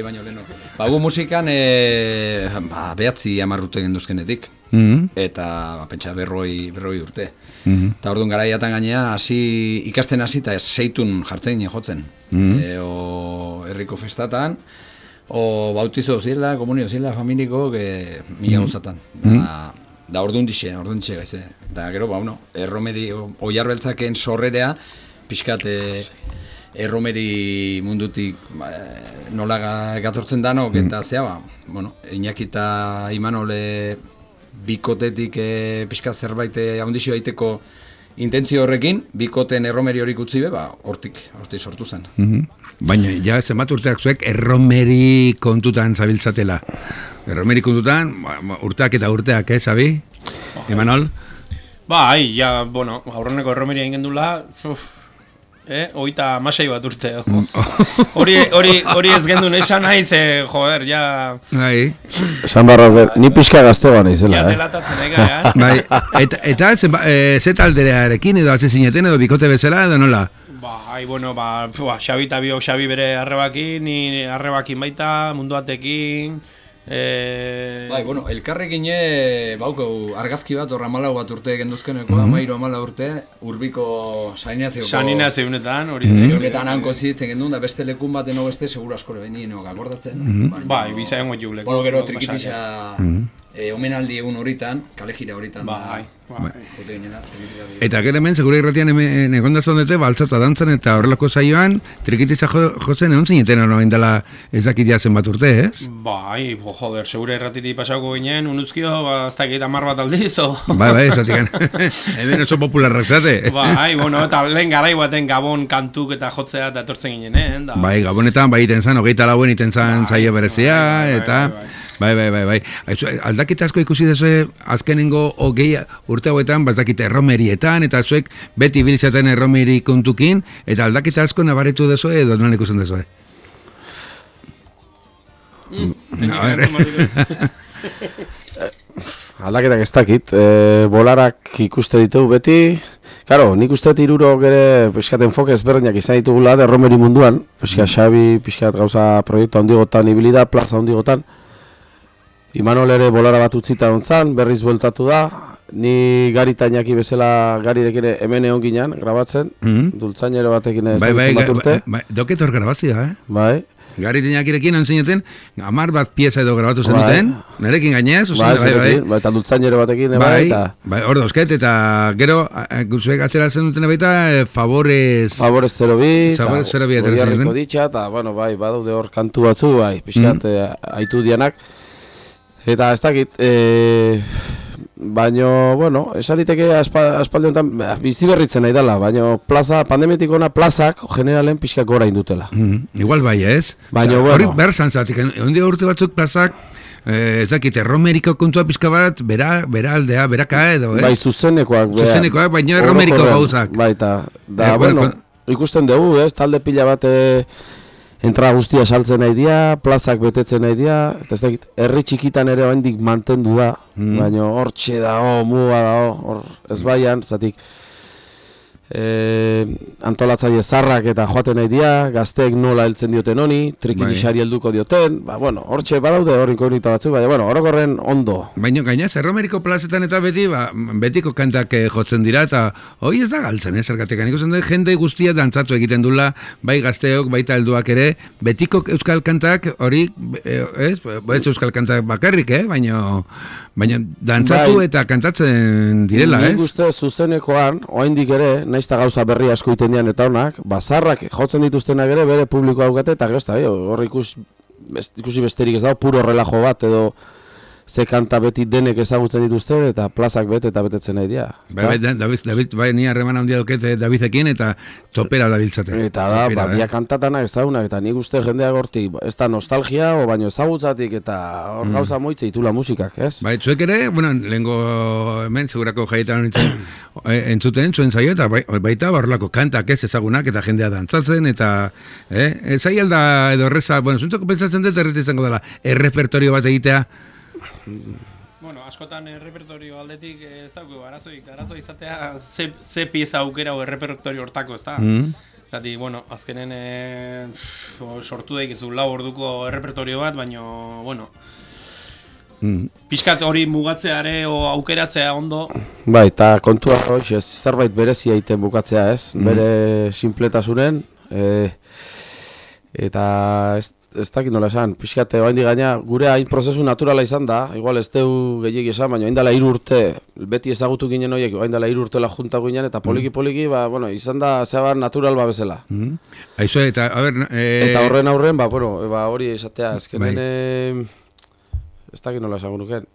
Baino leno. Gu musikan behatzi 10 urte genduzkenetik. Eta pentsa berroi urte. Eta orduan garaiatan gainea ikasten hasi eta seitun jartzen jotzen. O herriko festatan, o bautizo zila, komunio zila, familiko, mila gozatan. Da orduan dixe gaize. Da gero, erromeri, oiarbeltzaken sorrerea, pixkat erromeri mundutik nola gatortzen danok, eta zea, Iñaki eta Imanole bikotetik pixkat zerbait haundizio daiteko intentzio horrekin, bikoten erromeri horik utzi hortik sortu zen. Baina, ja, zenbat urteak zuek erromeri kontutan zabiltzatela. Erromeri kontutan, urteak eta urteak, Xabi? Imanol? Aurreneko erromeri egin gendula, oita masai bat urte. Hori ez gendun esan naiz, joder, ja... Esan barra, ni pixka gaztegoa nahizela, Ja, delatatzen ega, Eta ze talderearekin edo atze zineten edo bikote bezala edo nola? Xabi eta biok Xabi bere arrebakin, ni arrebakin baita, munduatekin... elkarrekin baukau argazki bat, horra 14 bat urte genduzkeneko, 13-14 urte, urbiko saninazioko... Saninazionetan, hori Eunetan hanko zitzen gendun, da beste lekun baten beste, segura askore behin akordatzen. Bizaen gotxu leku. Gero trikitixa omenaldi egun horitan, kalejira horitan. Eta gero hemen, segura irratian egondazan dute, baltzata dantzan eta horrelako saioan, trikititza jotzen egon zineten hori dela ezakitia zenbat urte, ez? Joder, segura irratiti pasauko ginen, unuzkio, ez dakit 10 bat aldiz, o... Ezatik, hemen oso popularrak zate. Eta lehen garai baten Gabon kantuk eta jotzea eta etortzen ginen, Gabonetan, iten zan, 24 iten zan saio berezia, eta... Aldakita asko ikusi dezu azkenengo urte hauetan, bazakite erromerietan, eta zuek beti biltzaten erromeri kontukin, eta aldakita asko nabaretu dezu edo non ikusten dezu? Aldaketak ez dakit, bolarak ikuste ditugu beti, karo, nik uste hirurok ere pixkat enfoke ezberdinak izan ditugula erromeri munduan, pixkat Xabi, pixkat gauza proiektu handigotan ibilida, plaza handigotan, Imanol ere bolara bat utzita ontzan, berriz bueltatu da, ni Gari eta Iñaki bezala Garirekin hemen egon ginen, grabatzen, dultzainero batekin ez zenbat urte. Doket hor grabazioa, Bai. Gari eta Iñakirekin onzineten, 10 bat pieza edo grabatu zen duten, nerekin gainez, eta dultzainero batekin, hor dauzket, eta gero, guzuek atzera zen duten baita, Favorez 02, Favorez 02 Goriarriko ditxa, eta, badaude hor kantu batzu, pixkat, aitu dianak. Eta ez dakit, baino, esan diteke aspaldi honetan bizi berritzen nahi dela, baino pandemiatik ona plazak generalen pixka gora indutela. Igual bai ez? Hori behar zantzatik, ondia urte batzuk plazak, ez dakit, erromeriko kontua pixka bat, bera aldea, beraka edo, ez? Zuzenekoak, baina erromeriko gauzak. Baita, ikusten dugu, ez, talde pila bat... Entrada guztia saltzen nahi dira, plazak betetzen nahi dira, eta ez dakit, herri txikitan ere oraindik mantendu da, baina hortxe dago, muga dago, hor ez baian, zatik antolatzaile zarrak eta joaten nahi dira, gazteek nola heltzen dioten honi, trikitixari helduko dioten, hortxe badaude hor inkognita batzuk, baina orokorren ondo. Baina gainaz, erromeriko plazetan eta betiko kantak jotzen dira, eta hori ez da galtzen, zergatik, ikusten dut, jende guztia dantzatu egiten dula, bai gazteok, baita helduak ere, betiko euskal kantak hori, ez euskal kantak bakarrik, baina dantzatu eta kantatzen direla, ez? Nik uste zuzenekoan, oraindik ere, naizta gauza berri asko iten dian eta honak, bazarrak jotzen dituztenak ere bere publiko daukate, eta hor ikusi besterik ez dago, puro relajo bat edo ze kanta beti denek ezagutzen dituzte eta plazak bete eta betetzen nahi dira. David, ni harreman handia dukete Davidekin eta topera dabiltzate. Eta da, dia kantatanak ezagunak, eta nik uste jendea gorti, ez da nostalgia, baino ezagutzatik eta hor gauza moitze itula musikak, ez? Zuek ere, lehenko hemen, segurako jaietan entzuten, zuen zaio, eta baita horrelako kantak ez ezagunak eta jendea dantzatzen, eta zai alda edo erreza, zuntzako pentsatzen dut errez izango dela, errepertorio bat egitea. Askotan errepertorio aldetik ez dauko, arazo izatea ze pieza aukera o errepertorio hortako, ez da? Zati, bueno, azkenen sortu daikizu 4 orduko errepertorio bat, baina, bueno, pixkat hori mugatzeare o aukeratzea ondo. Bai, eta kontua hoxe, zerbait berezia egiten bukatzea, ez? Bere sinpletasunen, eta ez dakit nola esan, pixkate oraindik gaina gure hain prozesu naturala izan da, igual ez deu gehiegi esan, baina orain dela 3 urte, beti ezagutu ginen horiek, orain dela 3 urtela junta ginen, eta poliki, ba, bueno, izan da zebar natural ba bezala. Aizu, eta, a ber... Eta horren aurren, ba, bueno, ba, hori esatea, ezkenen, ez dakit nola esan guruken,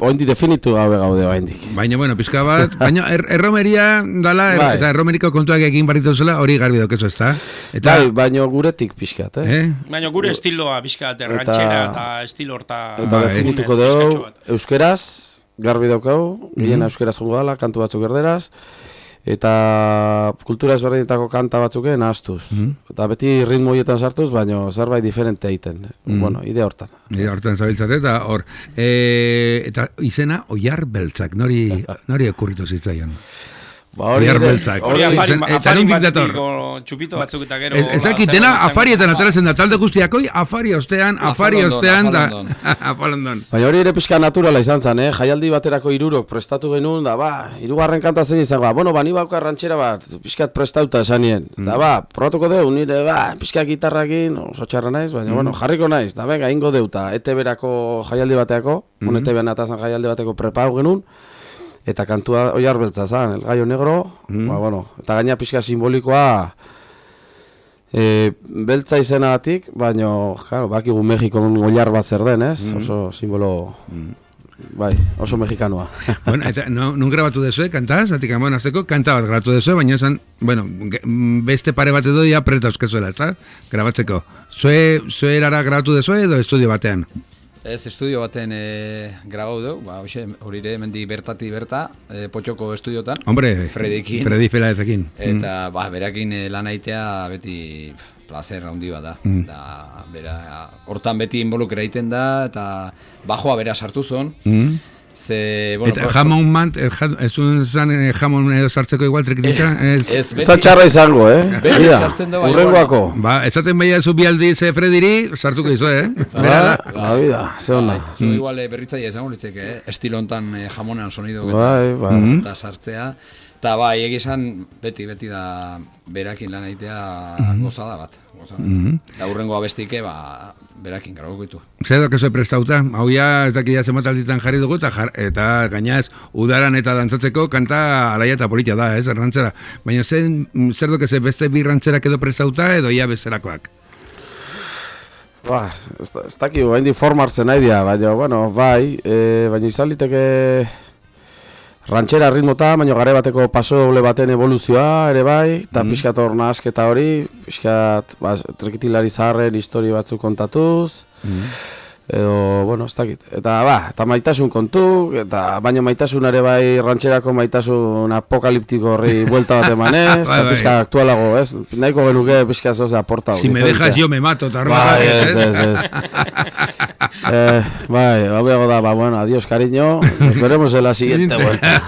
oindi definitu gabe gaude oraindik. Baina, bueno, pizka bat, baina erromeria dala, eta erromeriko kontuak egin barritu zela, hori garbi daukezu, ez da? Bai, baina guretik pixkat, Baina gure estiloa pixkat, ranchera eta estilo horta... Eta definituko dugu, euskeraz, garbi daukau, gehien euskeraz jongo dala, kantu batzuk erderaz, eta kultura ezberdinetako kanta batzuken ahaztuz. Eta beti ritmo horietan sartuz, baina zerbait diferente egiten. Bueno, idea hortan. Idea hortan zabiltzate, eta hor, eta izena Oiar Beltzak, nori okurritu zitzaion. Oiar Beltzak. Eta nondik dator. Txupito batzuk eta gero... Ez dakit, dena afarietan atarazen da, talde guztiakoi, afari ostean, da, afalondon. Baina hori ere pixka naturala izan zen, jaialdi baterako 3 prestatu genuen, da, ba, 3. kanta zein izan, bueno, ni bauka ranchera bat, pixkat prestauta esanien. Da, ba, probatuko deu, nire, ba, pixka gitarrakin, oso txarra naiz, baina, bueno, jarriko naiz, da, venga, ingo deuta, ETB-erako jaialdi bateako, ETB-an atazan jaialdi bateko prepau genuen, eta kantua Oiar Beltza zan, El Gallo Negro, ba, bueno, eta gaina pixka simbolikoa beltza izenagatik, baina, claro, bakigu Mexikon oilar bat zer den, ez? Oso simbolo, bai, oso mexikanoa. Bueno, eta nun grabatu dezue, kantaz? Atik, bueno, azteko, kanta bat grabatu dezue, baina esan, bueno, beste pare bat edo ya presta euskezuela, ez da? Grabatzeko. Zue erara grabatu dezue edo estudio batean? Ez, estudio baten grabau dugu, ba, hori ere, mendi bertati berta, Potxoko estudiotan. Hombre, Fredikin. Fredi Felaezekin. Eta, ba, berakin lan aitea beti placer handi bat da. Da, bera, hortan beti involukera egiten da, eta bajoa bera sartu zon. Ze, bueno, eta jamon mant, ez zan jamon edo sartzeko igual trikitizan? Ez txarra izango, Bera sartzen da, urrengoako. Ba, esaten behia zu bialdi ze Frediri, sartuko izo, Bera, la vida, ze hona. Zu igual berritzaia izango litzeke, estilo hontan jamonan sonido eta sartzea. Eta bai, egizan beti da berakin lan aitea gozada bat. Eta hurrengo abestike, berakin graboko ditu. Zer dok ez prestauta, hau ja ez dakia zenbat alditan jarri dugu, eta gainaz udaran eta dantzatzeko kanta alaia eta politia da, rantzera. Baina zer dok ez beste bi rantzerak edo prestauta edo ia bezerakoak? Ba, ez dakio, hain di formartzen nahi dia, baina, bueno, bai, baina izan liteke ranchera ritmota, baina gare bateko paso doble baten evoluzioa ere bai, eta pixkat hor nahasketa hori, pixkat trekitilari zaharren histori batzuk kontatuz, edo, bueno, ez dakit. Eta maitasun kontu, eta baina maitasun ere bai rancherako maitasun apokaliptiko horri buelta bat emanez, eta pixka aktualago, ez? Nahiko genuke pixka zoze aporta. Si me dejas yo me mato, eta bai, hau da, bueno, adiós cariño, nos veremos en la siguiente vuelta.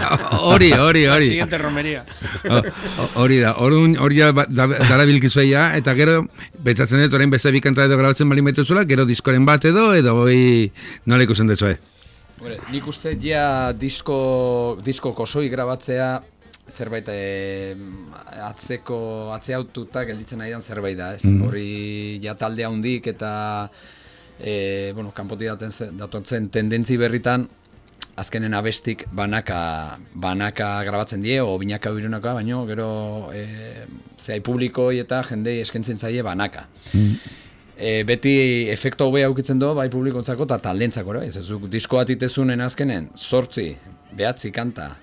Hori. La siguiente romería. Hori da, hori dara bilkizuea, eta gero, betzatzen dut, orain beste bikanta edo grabatzen bali metuzula, gero diskoren bat edo hoi nola ikusten dezue? Nik uste ja disko kosoi grabatzea zerbait atzeaututa gelditzen nahi dan zerbait da, ez? Hori ja taldea hundik eta kanpoti datortzen tendentzi berritan azkenen abestik banaka grabatzen die, o binaka birunaka, baino gero zehai publikoi eta jendei eskentzen zaie banaka. Beti efektu hobea aukitzen du, bai publikontzako eta taldentzako, ez disko bat itezunen azkenen, 8, 9 kanta,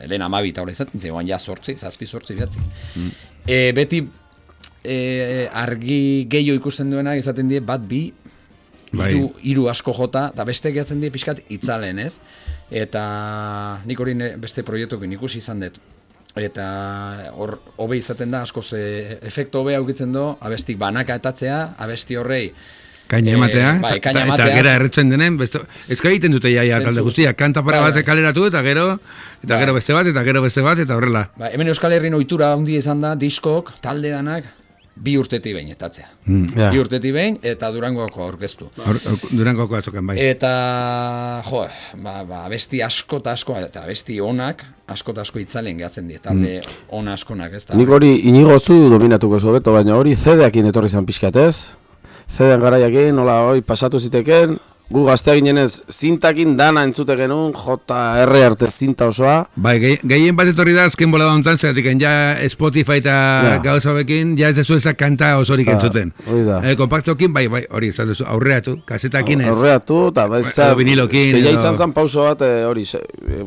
lehen 12 eta hori izaten zegoen, ja 8, 7, 8, 9. Beti argi gehiago ikusten duenak izaten die, bat, bi, hiru asko jota, eta beste gehatzen die pixkat itzalen, ez? Eta nik hori beste proiektuekin ikusi izan dut. Eta hor izaten da, askoz efektu hobe aukitzen du, abestik banaka etatzea, abesti horrei Kaina ematea, bai, kaina eta ematea. gera erretzen denen, ezka egiten dute jaia talde guztiak, kanta pare bat kaleratu, eta gero beste bat, eta horrela. Ba, hemen Euskal Herrin ohitura handi izan da, diskok, talde danak, 2 urtetik behin etatzea. 2 urtetik behin, eta Durangoko aurkeztu. Durangoko atzokan, bai. Eta, abesti asko eta asko, eta abesti onak, asko eta asko itzalen gehatzen die, talde ona askonak, ez da. Nik hori inigo zu dominatuko zobeto, baina hori CD-akin etorri zan pixkatez. CD-an garaiakin, nola hori pasatu ziteken, gu gaztea ginenez zintakin dana entzute genuen, JR arte zinta osoa. Bai, gehien bat etorri da azken bolada hontan, zeratik, ja Spotify eta gauza bekin, ja ez dezu ezak kanta osorik entzuten. Hori da. Kompaktokin, bai, hori, ez dezu, aurreatu, kasetakin ez. Aurreatu, eta vinilokin. Ja izan zan pauso bat, hori,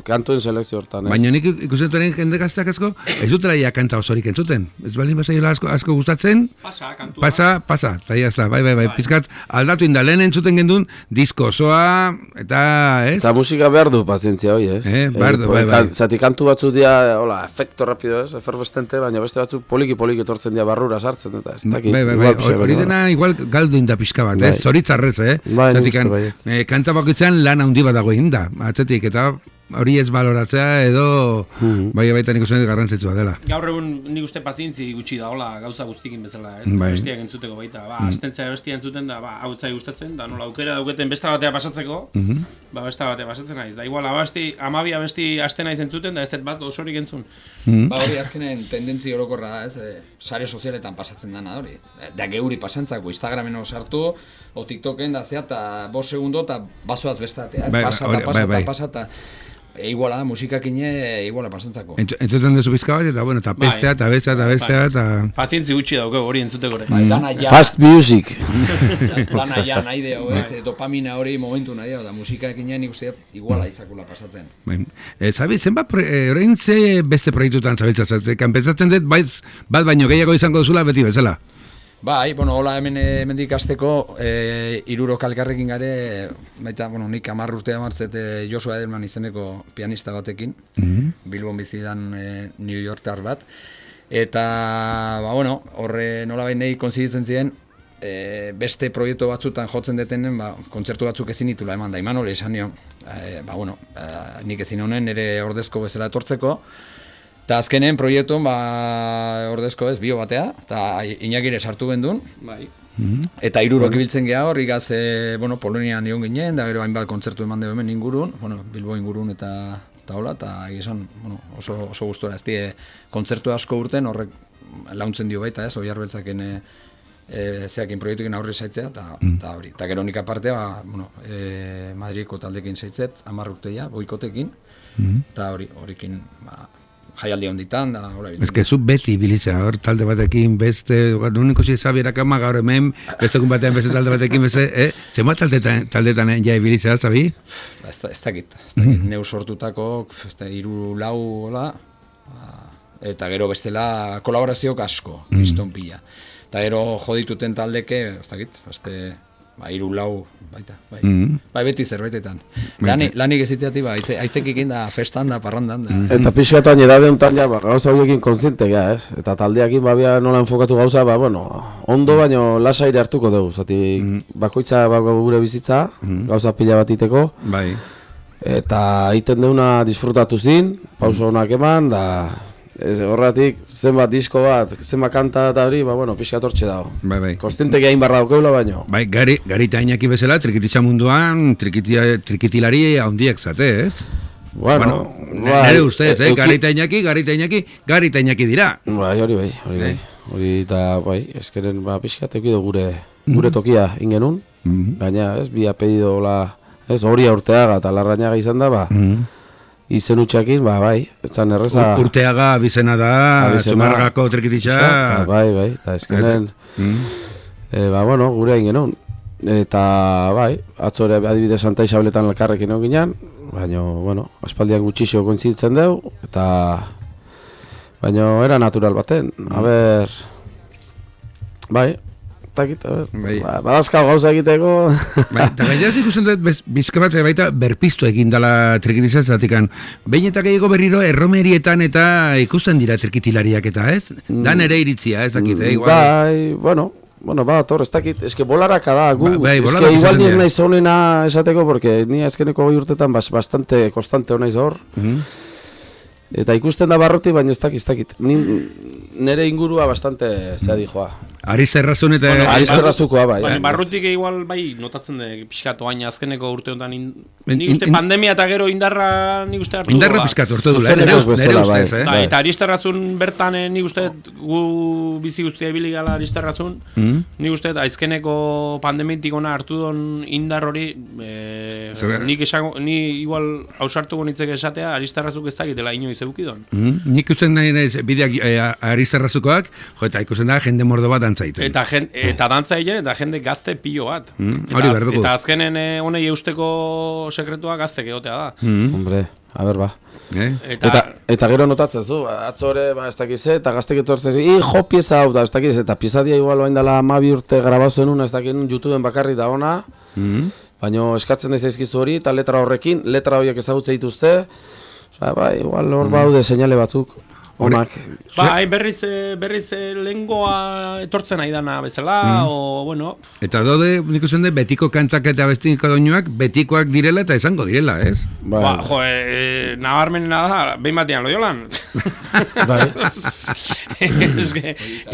kantuen selekzio hortan. Baina nik ikusten duen jende gazteak asko, ez dutela ja kanta osorik entzuten. Ez baldin bazaiola asko gustatzen, pasa, eta jazta, bai, pizkat, aldatu inda, lehen entzuten gendun, disko osoa, eta, ez? Eta musika behar du pazientzia hori, ez? Behar du, bai. Zati kantu batzu dia, hola, efekto rapido, ez? Eferbestente, baina beste batzuk poliki etortzen dia barrura sartzen, eta ez dakit. Bai, hori dena igual galdu inda pixka bat, ez? Zoritzarrez, Zatik, kanta bakoitzan lan handi bat dago inda, atzetik, eta hori ez baloratzea edo baita nik uste garrantzitsua dela. Gaur egun nik uste pazientzi gutxi da, hola, gauza guztikin bezala, ez? Bestiak entzuteko baita, astentzea bestia entzuten da, hau etzai gustatzen, da nola aukera dauketen besta batea pasatzeko, besta batea pasatzen naiz. Da igual, amabia besti aste naiz entzuten, da ez dut bat osorik entzun. Hori azkenen tendentzi orokorra, ez? Sare sozialetan pasatzen dana hori. Da geuri pasantzako, Instagramen sartu, o TikToken da zea, eta 5 segundo, eta bazoaz bestatea, ez? Pasata. Iguala da, musikakine iguala pasantzako. Entzuten duzu bizka bat, eta bestea, eta... Pazientzi gutxi dauke hori entzuteko ere. Fast music. Lana ja nahi deo, ez? Dopamina hori momentu nahi deo, da musikakine nik uste iguala izakula pasatzen. Zabi, zenbat, orain ze beste proiektutan zabiltzatzen, kanpentsatzen dut, bat baino gehiago izango duzula beti bezala. Bai, hola hemendik hasteko 3 kalkarrekin gare, baita, nik 10 urtea martzet Joshua Edelman izeneko pianista batekin, Bilbon bizidan New Yorktar bat, eta, horre nolabait nahi konziditzen ziren, beste proiektu batzutan jotzen detenen, kontzertu batzuk ezin ditula eman da, Imanol esan nio, nik ezin honen ere ordezko bezala etortzeko, eta azkenen proiektun, ordezko ez, bio batea, eta Iñakire sartu gendun, eta 3 ibiltzen geha hor, igaz, Polonian ion ginen, da gero hainbat kontzertu eman dugu hemen ingurun, Bilbo ingurun eta hola, eta egizan, oso gustora, ez die kontzertu asko urten, horrek launtzen dio baita, ez, Oiar Beltzaken zeakin proiektukin aurri zaitzea, eta hori. Eta gero nik aparte, Madrideko taldekin zaitzet, 10 urteia, boikotekin, eta horikin, jaialdi honditan, da, hola biltzen. Ez que zu beti bilitza, hor talde batekin, beste, nuniko zizabierak ama gaur hemen, bestekun batean beste talde batekin, beste, zema taldetan ja bilitza, zabi? Ez dakit, neu sortutako, 3-4, hola, eta gero bestela kolaborazioak asko, kriston pila. Eta gero jodituten taldeke, ez dakit, 3-4, baita, bai beti zerbaitetan. Lanik eziteati, aitzekik da, festan da, parrandan da. Eta pixkatuan edade honetan, gauza horiekin kontziente ga, ez? Eta taldeakin babia nola enfokatu gauza, ondo baino lasaire hartuko dugu, zati bakoitza gure bizitza, gauza pila bat iteko. Bai. Eta egiten deuna disfrutatu zin, pauso honak eman, da... Horretik, zenbat disko bat, zenbat kanta eta hori, pixka tortxe dago. Bai. Konstientek egin barra daukeula baino. Bai, Garita Iñaki bezala, trikititza munduan, trikitilari handiak zate, ez? Nere ustez, Garita Iñaki dira. Bai, hori. Hori eta, ezkeren pixka teki gure tokia ingenun. Baina, ez, bi apedido, hori Urteaga eta Larrañaga izan da, izen utxakin, etzan erreza... Urteaga bizena da, Zumarragako trikititza... Bai, eta ezkenen... gure egin genuen. Eta, atzore adibide Santa Isabeletan elkarrekin hau ginen, baina, aspaldian gutxixo kointzitzen dugu, eta... Baina, era natural baten, badazkau gauza egiteko... Eta gaitzat ikusten dut, bizka bat baita berpiztu egin dela trikitizazatikan. Behin eta gehiago berriro erromerietan eta ikusten dira trikitilariak eta ez? Dan ere iritzia, ez dakit, igual? bueno, ez dakit, eske bolaraka da, gu, bolarak eske igual izaten niz dira. naiz honena esateko, porque ni azkeneko 2 urtetan bastante konstante honaiz hor. Eta ikusten da barroti, baina ez dakit. Nere ingurua bastante zeadi joa. Arizterrazun eta... Arizterrazukoa, bai. Baina barrutik igual, bai, notatzen da, pixkatu baina azkeneko urte honetan, nik uste pandemia eta gero indarra nik uste hartu. Indarra pixkatu hartu dula, nere ustez, Eta Arizterrazun bertan nik uste gu bizi guztia ibili gala Arizterrazun, nik uste azkeneko pandemiatik ona hartu don indar hori, ni igual hausartuko nitzek esatea, Arizterrazuk ez dakitela inoiz eukidon. Nik usten nahi naiz bideak Arizterrazukoak, eta ikusten da jende mordo bat dantzaiten. Eta dantza egin, eta jende gazte pilo bat. Hori behar dugu. Eta azkenen honei eusteko sekretua gaztek egotea da. Hombre, a ber, ba. Eta gero notatzen zu, atzo ere, ez dakiz, eta gaztek etortzen jo pieza hau, ez dakiz, eta pieza dia igual oain dela 12 urte grabazen una, ez dakin YouTubeen bakarri da ona, baina eskatzen da zaizkizu hori, eta letra horiek ezagutze dituzte, bai, igual hor baude seinale batzuk. Onak. Bai, berriz lengoa etortzen nahi dana bezala, bueno... Eta dode, nik uste betiko kantak eta bestiko doinuak, betikoak direla eta esango direla, ez? Ba, nabarmenena da, behin batean Loiolan. Bai.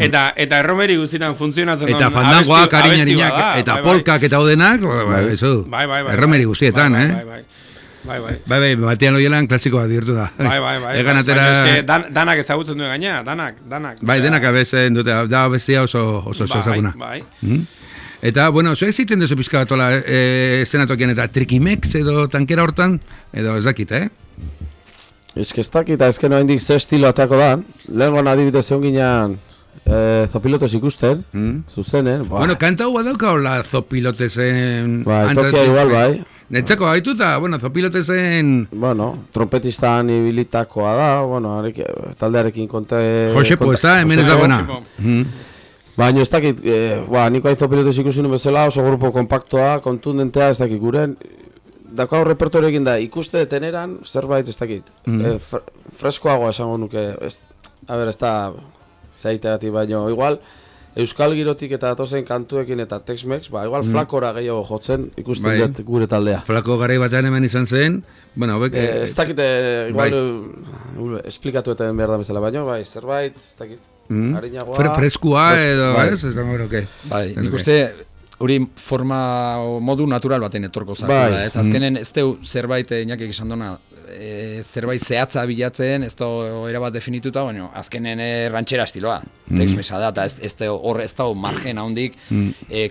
Eta erromeri guztietan funtzionatzen eta fandangoak, ariñarinak, eta polkak eta odenak, erromeri guztietan, Bai, Batean Loiolan klasikoa dirtu da. Bai. Egan atera... Danak ezagutzen duen gaina, danak. Bai, denak abesten dute, da bestia oso ezaguna. Bai. Eta, bueno, zuek ziten duzu pizka batola estenatokian eta trikimex edo tankera hortan, edo ez dakit, Ez dakit, ezken oa indik ze estilo atako da, lehenko adibidez egon ginean zopilotes ikusten, zuzenen. Bueno, kanta hua dauka hola zopilotesen... Bai, tokia igual, bai. Netxako gaitu eta, bueno, zopilotesen... Bueno, trompetistan ibilitakoa da, bueno, taldearekin konte... Josepo, ez da, hemen ez da buena. Baina ez dakit, niko hain zopilotes ikusten bezala, oso grupo kompaktoa, kontundentea, ez dakit guren. Dakau repertorioekin da, ikuste deteneran, zerbait ez dakit. Freskoagoa esango nuke, ez da zaiteagatik, baina igual... Euskal girotik eta datozen kantuekin eta Tex-Mex, igual flakora gehiago jotzen ikusten dut gure taldea. Flako garai batean hemen izan zen, bueno, ez dakite, igual, esplikatu eta behar da bezala, baina, zerbait, ez dakit, harinagoa... Freskua edo, ez? Ez dago eroke. Bai, nik uste, hori forma modu natural baten etorko zakula, ez? Azkenen, ez deu zerbait, inakik esan dona, zerbait zehatza bilatzen, ez da erabat definituta, baina azkenen rantxera estiloa, Tex-Mexa da, eta ez da margen handik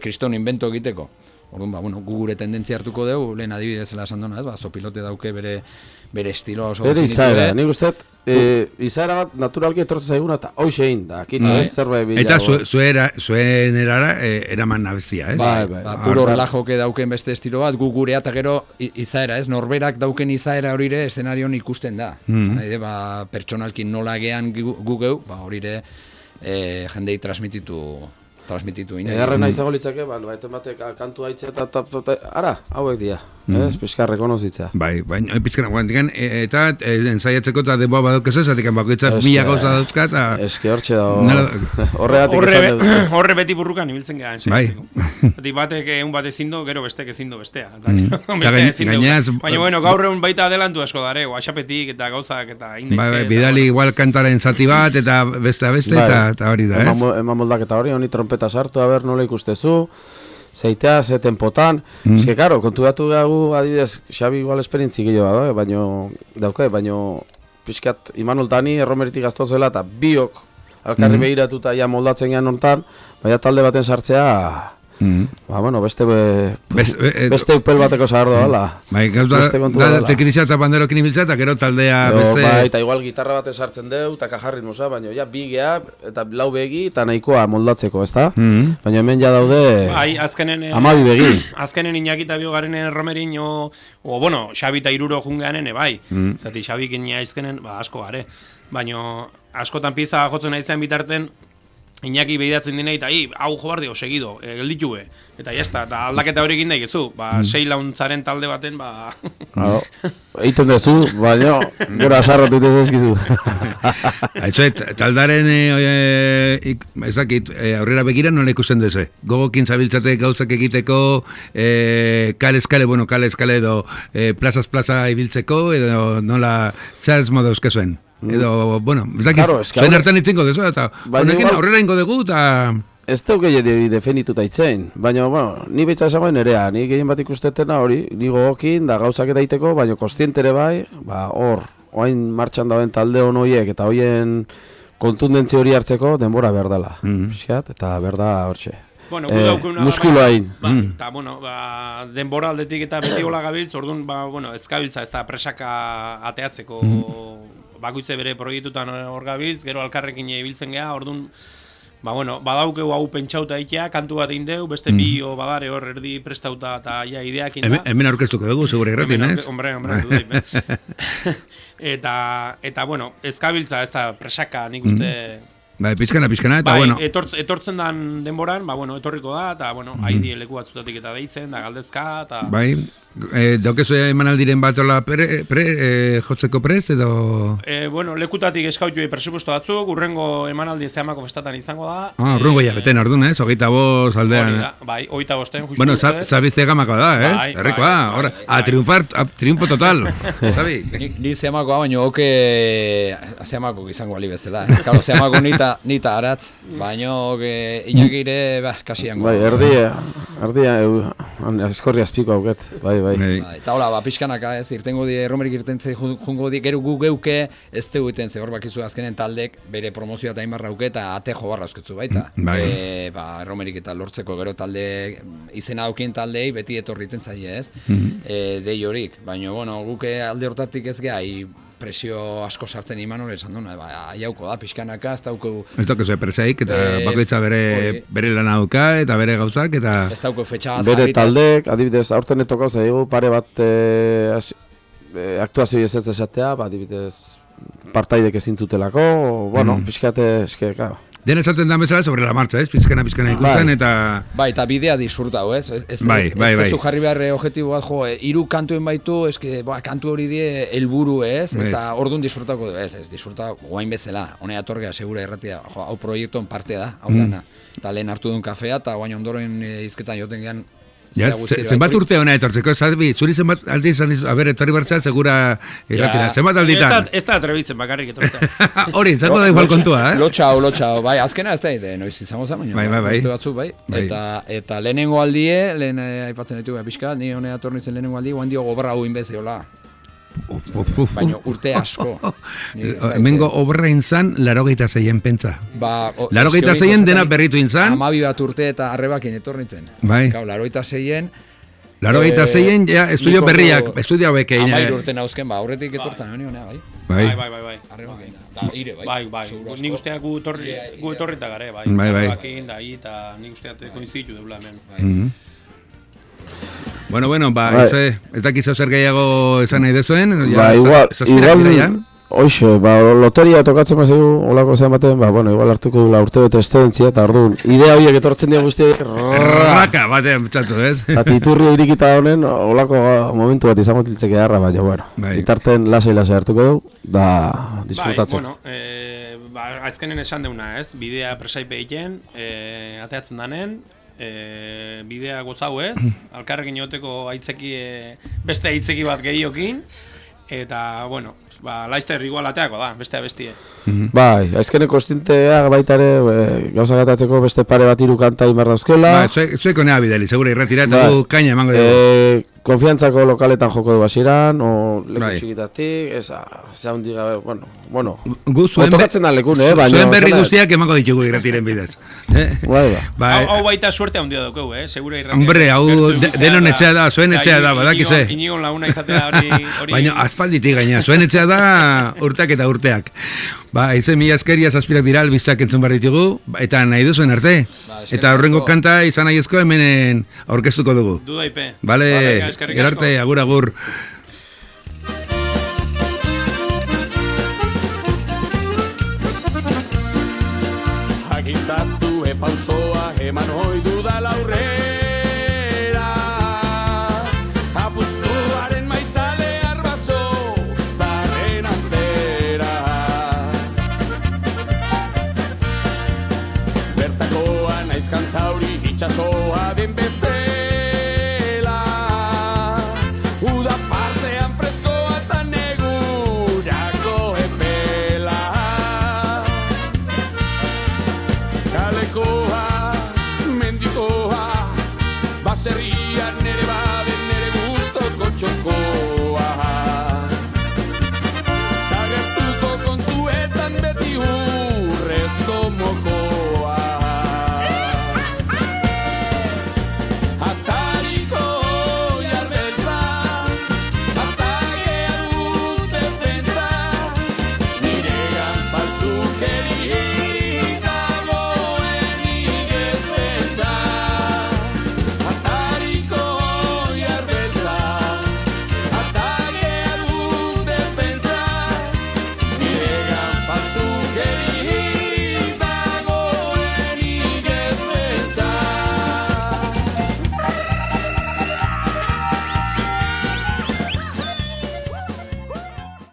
kriston invento egiteko. Orduan, bueno, gure tendentzia hartuko dugu, lehen adibidezela esan dona, ez? Zopilote dauke bere estiloa oso definitu. Izaera, nik uste, izaera bat naturalki etortzen zaiguna eta hoxe egin da, akita ez zerbait bilago. Eta zuen erara eraman nabezia, ez? Bai. Puro relajoke dauken beste estilo bat, gu gurea eta gero izaera, ez? Norberak dauken izaera horire eszenarion ikusten da. Pertsonalki nola gean gu geu, horire jendei transmititu ine. Edarrena izango litzake, baiten batek kantu haitze eta ara, hauek dira. Ez, pixka rekonozitzea. Bai, baina pixka guantikan, eta ensaiatzeko eta denboa badaukaz ez, atikan bakoitzak mila gauza dauzka, eta... Eske hortxe da... Horre beti burrukan ibiltzen gara ensaiatzeko. Bai. Batek egun bat ezindo, gero bestek ezindo bestea. Baina, bueno, gaur egun baita adelantu asko dare, WhatsAppetik eta gauzak eta indaiz. Bai, bidali igual kantaren zati bat, eta beste eta hori da, ez? Eman moldaketa hori, honi trompeta sartu, haber nola ikustezu, zeitea, ze tempotan. Eske, karo, konturatu gagu, adibidez, Xabi igual esperintzi gehiago da, baino pixkat Imanol Dani erromeritik gaztu zela, eta biok alkarri behiratuta ja moldatzen gehan hortan, baina talde baten sartzea, bueno, beste upel bateko zahardo dala. Bai, da teknizia eta banderokin ibiltza, eta gero taldea beste... Bai, eta igual gitarra baten sartzen deu, eta kajarritmosa, baina ja bi geha, eta lau begi, eta nahikoa moldatzeko, ez da? Baina hemen ja daude... Bai, azkenen... Amabi begi. Azkenen Iñakita biogaren erromerin, bueno, Xabi eta Iruro jungean, bai. Zati, Xabik azkenen, asko gare. Baina, askotan pieza jotzen nahi zen bitarten, Iñaki behiratzen dinei, eta hau jo bardio, segido, gelditu be. Eta jazta, eta aldaketa hori egin daigezu, 6 launtzaren talde baten, Eiten dezu, baina, gero asarratu itezezkizu. Taldaren, ez dakit, aurrera begira nola ikusten duzu. Gogokin zabiltzate gauzak egiteko, kale-eskale, kale-eskale edo plazaz-plaza ibiltzeko, edo nola zaz moda euskazuen. Edo, ez dakit, zuen hartan itzinko dezu, eta honekin aurrera ingo dugu, eta... Ez duk gehiago definituta itzen, baina, ni behitza esagoen nerea, ni gehien bat ikustetena hori, ni gogokin, da gauzak edaiteko, baina kostientere bai, hor, oain martxan dauen talde hon horiek, eta hoien kontundentzi hori hartzeko denbora behar dela, eta behar da hortxe. Muskulo hain. Eta, denbora aldetik eta beti hola gabiltz, orduan, ez gabiltza, ez da presaka ateatzeko, bakoitze bere proiektutan hor gabiltz, gero alkarrekin ibiltzen geha, orduan, badaukeu hau pentsauta ikia, kantu bat egin deu, beste bi badare hor erdi prestauta eta ideak inda. Hemen aurkeztuko dugu, segure irratin, ez? Hombre, dudai, Eta, ez gabiltza, ez da presaka, nik uste... Pizkana, eta etortzen dan denboran, etorriko da, eta, haidi leku batzutatik eta deitzen, da galdezka, eta... Daukezu emanaldiren bat ola jotzeko prez, edo... Lekutatik eskautu presupuesto batzuk, urrengo emanaldi zehamako festatan izango da. Urrengo jabeten orduan, ez? 25 aldean. Bai, 25, justu. Zabizte gamako da, ez? Errikoa, triunfo total. Zabi? Ni zehamakoa, baina oke zehamakoak izango ali bezala. Kalo, zehamakoak nita aratz, baina inakire, kasiango. Bai, erdia, eskorri azpiko auket, bai. Eta hola, pixkanaka ez, irtengo di, erromerik irtentze jungo di, gero gu geuke ez teguten ze hor bakizu azkenen taldek bere promozioa eta inbarra auke eta ate jo barra eusketzu baita. Erromerik eta lortzeko gero talde izena aukien taldei beti etorri itentzaile ez, dei horik, baina guke alde hortatik ez geha, presio asko sartzen iman hori esan duna, aiauko da, pixkanaka, ez dauko... Ez dauko ze presaik, eta bakoitza bere lan auka, eta bere gauzak, eta... Ez dauko fetxa bat bere taldek, adibidez, aurten etoko zaigu, pare bat aktuazio ez esatea, adibidez, partaidek ezintzutelako, pixkate, eske, claro. Dena esaten da bezala sobre la marcha, ez? Pizkana ikusten eta... Bai, eta bidea disfrutau, ez? Bai. Ez jarri behar objektibo bat, hiru kantuen baitu, kantu hori die helburu, ez? Eta orduan disfrutako, ez, disfruta guain bezala. Honea torgea, segura irratia, hau proiektuan parte da, hau dana. Eta lehen hartu duen kafea, eta guain ondoren izketan joten gehan... Zenbat urte hona etortzeko, zuri zenbat aldi izan dizu, etorri bartza, segura irratira, zenbat alditan? Ez da atrebitzen bakarrik etortzea. Hori, zango da igual kontua, eh? Lotxao, bai, azkena ez da, noiz izango zen, bai. Eta lehenengo aldie, lehen aipatzen ditu pixka, ni honea etornitzen lehenengo aldie, guan dio gobra hau inbeziola. Baina urte asko. Hemengo obra inzan, 86 pentsa. 86 dena berritu inzan. 12 bat urte eta arrebakin etornitzen. Bai. 86 ja, estudio berriak, estudio bekein. 13 urte nauzken, aurretik etortan, honea, bai. Bai. Arrebakin. Da, ire, bai. Bai. Nik usteak gu etorrita gare, bai. Arrebakin, da, eta nik usteak koinzitu deula hemen. Bueno, ez dakizu zer gehiago esan nahi dezuen, igual, hoxe, loteria tokatzen mazegu, olako zean baten, igual hartuko dula urte bete estedentzia, eta orduan, idea horiek etortzen dira guztiak, raka batean, txatzu, ez? Eta iturri irikita honen, olako momentu bat izango tiltzeke harra, baina, itarten lasai hartuko dugu, da, disfrutatzen. Azkenen esan deuna, ez? Bidea presaipe egiten, ateatzen danen, bidea gozau ez, alkarrekin joteko beste aitzeki bat gehiokin, eta, laizter igual ateako da, bestea bestie. Bai, azkeneko konstintea baita ere, gauza gatatzeko beste pare bat hiru kanta imarra euskela. Zueko nea bideli, segura irretiratu kaina emango dugu. Konfiantzako lokaletan joko du hasieran, o leku txikitatik, zaundi gabe, bueno, otokatzen da lekun, zuen berri guztiak emango ditugu irretiren bidez. Hau baita suerte handia daukeu, segura irretiren. Hombre, hau denon etxea da, zuen etxea da, badakize. Inigon laguna izatea hori... Baina, aspalditik gaina, zuen etxea da urteak eta urteak. Izen mila eskeria zazpirak dira albiztak entzun behar ditugu, eta nahi duzuen arte. Eta horrengo kanta izan nahi ezko hemenen aurkeztuko dugu. Dudaipe. Bale, gerarte, agur. Izazue pausoa eman hoi dudala aurre